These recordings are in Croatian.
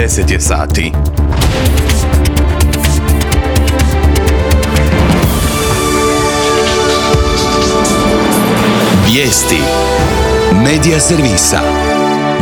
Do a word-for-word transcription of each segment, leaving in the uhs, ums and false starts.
deset je sati. Vijesti Medija servisa.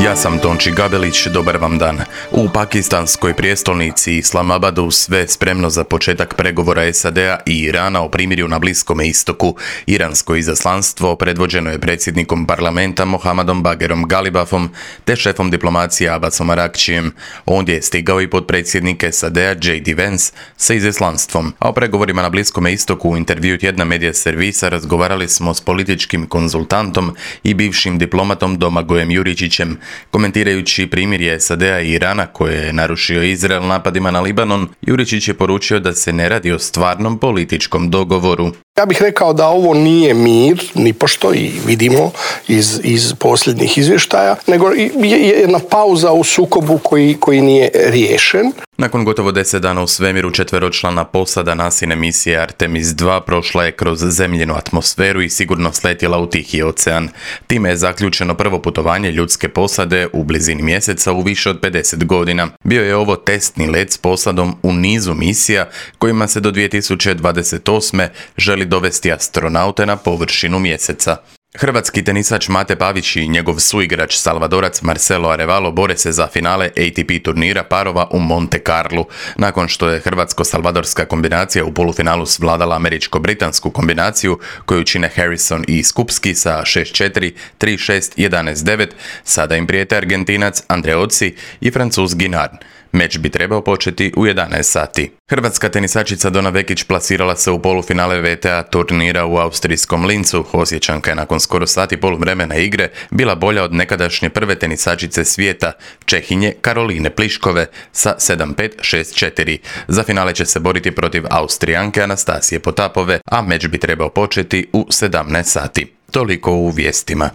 Ja sam Tonči Gabelić, dobar vam dan. U pakistanskoj prijestolnici Islamabadu sve spremno za početak pregovora S A D-a i Irana o primirju na Bliskome istoku. Iransko izaslanstvo predvođeno je predsjednikom parlamenta Mohammadom Bagherom Galibafom te šefom diplomacije Abbasom Arakčijem. Ondje je stigao i potpredsjednik S A D-a J D Vance sa izaslanstvom. A o pregovorima na Bliskome istoku u intervju tjedna Medija servisa razgovarali smo s političkim konzultantom i bivšim diplomatom Domagojem Juričićem. Komentirajući primirje S A D-a i Irana koje je narušio Izrael napadima na Libanon, Juričić je poručio da se ne radi o stvarnom političkom dogovoru. Ja bih rekao da ovo nije mir, nipošto, i vidimo iz, iz posljednjih izvještaja, nego je jedna pauza u sukobu koji, koji nije riješen. Nakon gotovo deset dana u svemiru, četveročlana posada nasine misije Artemis dva prošla je kroz zemljinu atmosferu i sigurno sletjela u Tihi ocean. Time je zaključeno prvo putovanje ljudske posade u blizini mjeseca u više od pedeset godina. Bio je ovo testni let s posadom u nizu misija kojima se do dvije tisuće dvadeset osme želi dovesti astronaute na površinu mjeseca. Hrvatski tenisač Mate Pavić i njegov suigrač Salvadorac Marcelo Arevalo bore se za finale A T P turnira parova u Monte Carlu. Nakon što je hrvatsko-salvadorska kombinacija u polufinalu svladala američko-britansku kombinaciju koju čine Harrison i Skupski sa šest četiri, tri šest, jedanaest devet, sada im prijete Argentinac Andreozzi i Francuz Guinard. Meč bi trebao početi u jedanaest sati. Hrvatska tenisačica Dona Vekić plasirala se u polufinale V T A turnira u austrijskom Lincu. Osječanka je nakon skoro sati poluvremena igre bila bolja od nekadašnje prve tenisačice svijeta, Čehinje Karoline Pliškove sa sedam pet, šest četiri. Za finale će se boriti protiv Austrijanke Anastasije Potapove, a meč bi trebao početi u sedamnaest sati. Toliko u vijestima.